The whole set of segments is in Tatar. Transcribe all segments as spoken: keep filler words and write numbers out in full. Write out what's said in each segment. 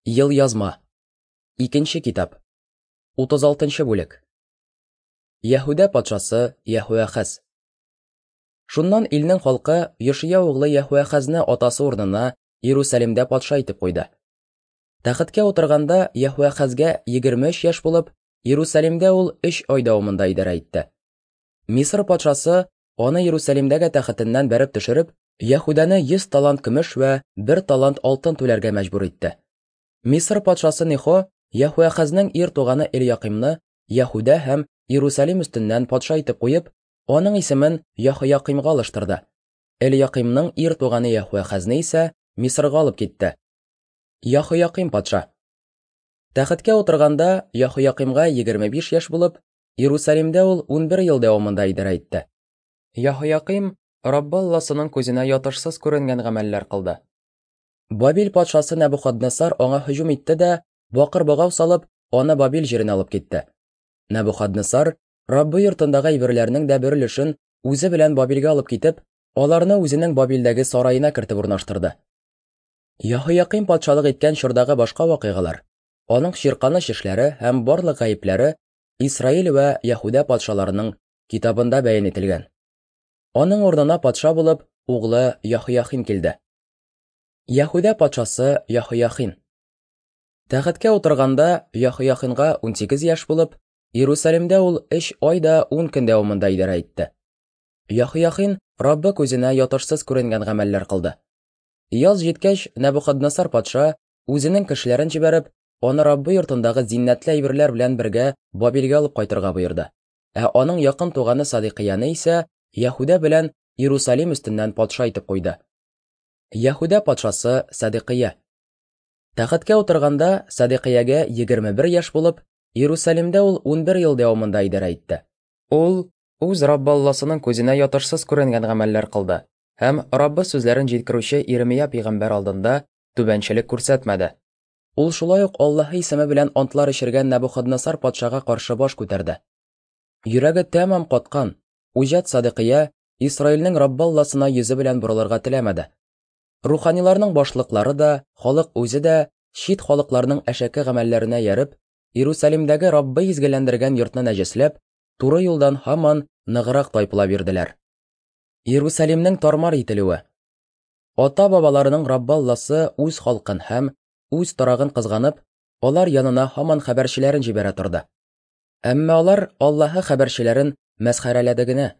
Елъязма. Икенче китап. Утыз алтынчы бүлек. Яһүдә патшасы Яһүәхәз. Шуннан илнең халкы Йошия углы Яһүәхәзне атасы урынына Иерусалимдә патша итеп куйды. Тәхеткә утырганда Яһүәхәзгә егерме өч яшь булып, Иерусалимдә ул өч ай дәвамында идарә итте. Мисыр патшасы аны Иерусалимдәге тәхетеннән бәреп төшереп, Яһүдәне йөз талант көмеш вә бер талант алтын түләргә мәҗбүр итте. Мисыр патшасы Нехо Яһүәхәзнең ир туганы Эльякимны Яһүдә һәм Иерусалим өстеннән патша итеп куеп, аның исемен Яһоякимга алыштырды. Эльякимның ир туганы Яһүәхәзне исә Мисырга алып китте. Яһояким патша. Тәхеткә утырганда Яһоякимга егерме биш яшь булып, Иерусалимдә ул унбер ел дәвамында идарә итте. Яһояким Раббы Алласының күзенә ятышсыз күренгән гамәлләр кылды. Бабил патшасы Нәбухаднесар аңа һөҗүм итте дә, бакыр богау салып, аны Бабил җиренә алып китте. Нәбухаднесар Раббы йортындагы әйберләрнең дә бер өлешен үзе белән Бабилгә алып китеп, аларны үзенең Бабилдәге сараена кертеп урнаштырды. Яһояким патшалык иткән чордагы башка вакыйгалар, аның чирканыч эшләре һәм барлык гаепләре Исраил вә Яһүдә патшаларының китабында бәян ителгән. Аның урынына патша булып углы Яһояхин килде. Яһүдә патшасы Яһояхин. Тәхеткә утырганда Яһояхинга унсигез яшь булып, Иерусалимдә ул өч ай да ун көн дәвамында идарә итте. Яһояхин Раббы күзенә ятышсыз күренгән гамәлләр кылды. Яз җиткәч, Нәбухаднесар патша үзенең кешеләрен җибәреп, аны Раббы йортындагы зиннәтле әйберләр белән бергә Бабилгә алып кайтырга боерды. Ә аның якын туганы Садикияне исә Яһүдә белән Иерусалим өстеннән патша итеп куйды. Яһүдә патшасы Садикия. Тәхеткә утырганда Садикиягә егерме бер яшь булып, Иерусалимдә ул унбер ел дәвамында идарә итте. Ул үз Раббы Алласының күзенә ятышсыз күренгән гамәлләр кылды һәм Раббы сүзләрен җиткерүче Иремия пәйгамбәр алдында түбәнчелек күрсәтмәде. Ул шулай ук Аллаһы исеме белән антлар эчергән Нәбухаднесар патшага каршы баш күтәрде. Йөрәге тәмам каткан үҗәт Садикия Исраилнең Раббы Алласына йөзе белән борылырга теләмәде. Руханиларның башлыклары да, халык үзе дә чит халыкларның әшәке гамәлләренә ярып, Иерусалимдәге Раббы изгеләндергән йортны нәҗесләп, туры юлдан һаман ныграк тайпыла бирделәр. Иерусалимнең тармар ителүе. Ата-бабаларының Раббы Алласы үз халкын һәм үз торагын кызганып, алар янына һаман хәбәрчеләрен җибәрә торды. Әмма алар Аллаһы хәбәрчеләрен мәсхәрәләде генә.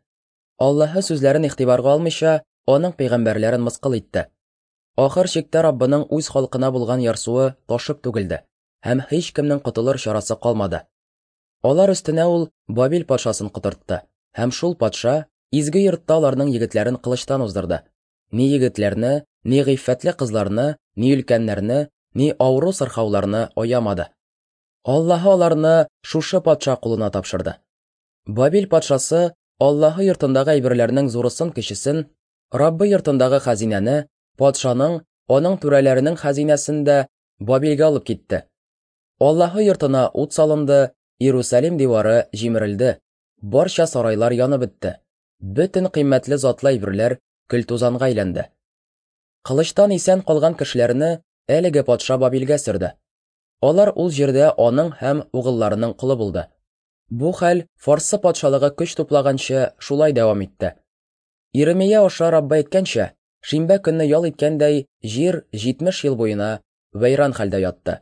Аллаһы сүзләрен игътибарга алмыйча, аның пәйгамбәрләрен мыскыл итте. Ахыр чиктә Раббының үз халкына булган ярсуы ташып түгелде һәм һич кемнең котылыр чарасы калмады. Алар өстенә ул Бабил патшасын котыртты, һәм шул патша изге йортта аларның егетләрен кылычтан уздырды. Ни егетләрне, ни гыйффәтле кызларны, ни өлкәннәрне, ни авыру сырхауларны аямады. Аллаһы аларны шушы патша кулына тапшырды. Бабил патшасы Аллаһы йортындагы әйберләрнең зурысын кечесен, Раббы йортындагы хәзинәне, патшаның, аның түрәләренең хәзинәсен дә Бабилгә алып китте. Аллаһы йортына ут салынды, Иерусалим дивары җимерелде, барча сарайлар янып бетте. Бөтен кыйммәтле затлы әйберләр көл-тузанга әйләнде. Кылычтан исән калган кешеләрне әлеге патша Бабилгә сөрде. Алар ул җирдә аның һәм угылларының колы булды. Бу хәл Фарсы патшалыгы көч туплаганчы шулай дәвам итте. Иремия аша Раббы әйткәнчә, шимбә көнне ял иткәндәй, җир җитмеш ел буена вәйран хәлдә ятты.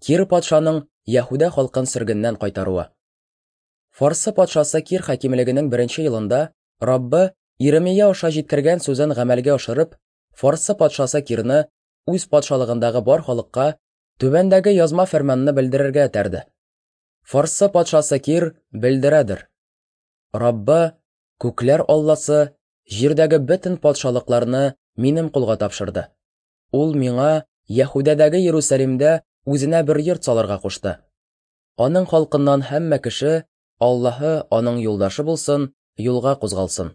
Кир патшаның Яһүдә халкын сөргеннән кайтаруы. Фарсы патшасы Кир хакимлегенең беренче елында Раббы Иремия аша җиткергән сүзен гамәлгә ашырып, Фарсы патшасы Кирны үз патшалыгындагы бар халыкка түбәндәге язма фәрманны белдерергә этәрде. Фарсы патшасы Кир белдерәдер: Раббы, күкләр Алласы, җирдәге бөтен патшалыкларны минем кулга тапшырды. Ул миңа Яһүдәдәге Иерусалимдә үзенә бер йорт салырга кушты. Аның халкыннан һәммә кеше, Аллаһы аның юлдашы булсын, юлга кузгалсын.